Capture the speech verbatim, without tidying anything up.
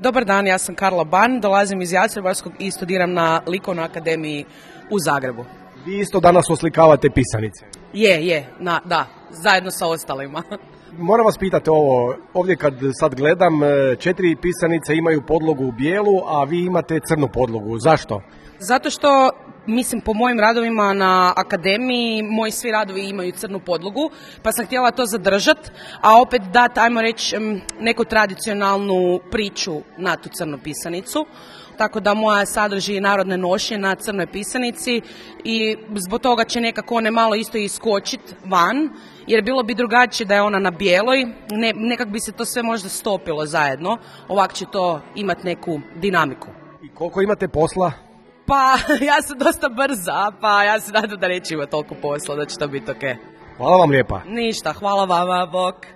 Dobar dan, ja sam Karla Ban, dolazim iz Jastrebarskog i studiram na Likovnoj akademiji u Zagrebu. Vi isto danas oslikavate pisanice. Je, je, na, da, zajedno sa ostalima. Moram vas pitati ovo, ovdje kad sad gledam, četiri pisanice imaju podlogu u bijelu, a vi imate crnu podlogu. Zašto? Zato što, mislim, po mojim radovima na akademiji, moji svi radovi imaju crnu podlogu, pa sam htjela to zadržati, a opet dati, ajmo reći, neku tradicionalnu priču na tu crnu pisanicu. Tako da moja sadrži narodne nošnje na crnoj pisanici i zbog toga će nekako one malo isto iskočiti van, jer bilo bi drugačije da je ona na bijeloj, ne, nekak bi se to sve možda stopilo zajedno, ovak će to imati neku dinamiku. I koliko imate posla? Pa ja sam dosta brza, pa ja se nadam da neće imati toliko posla, da će to biti ok. Hvala vam lijepa. Ništa, hvala vama, bok.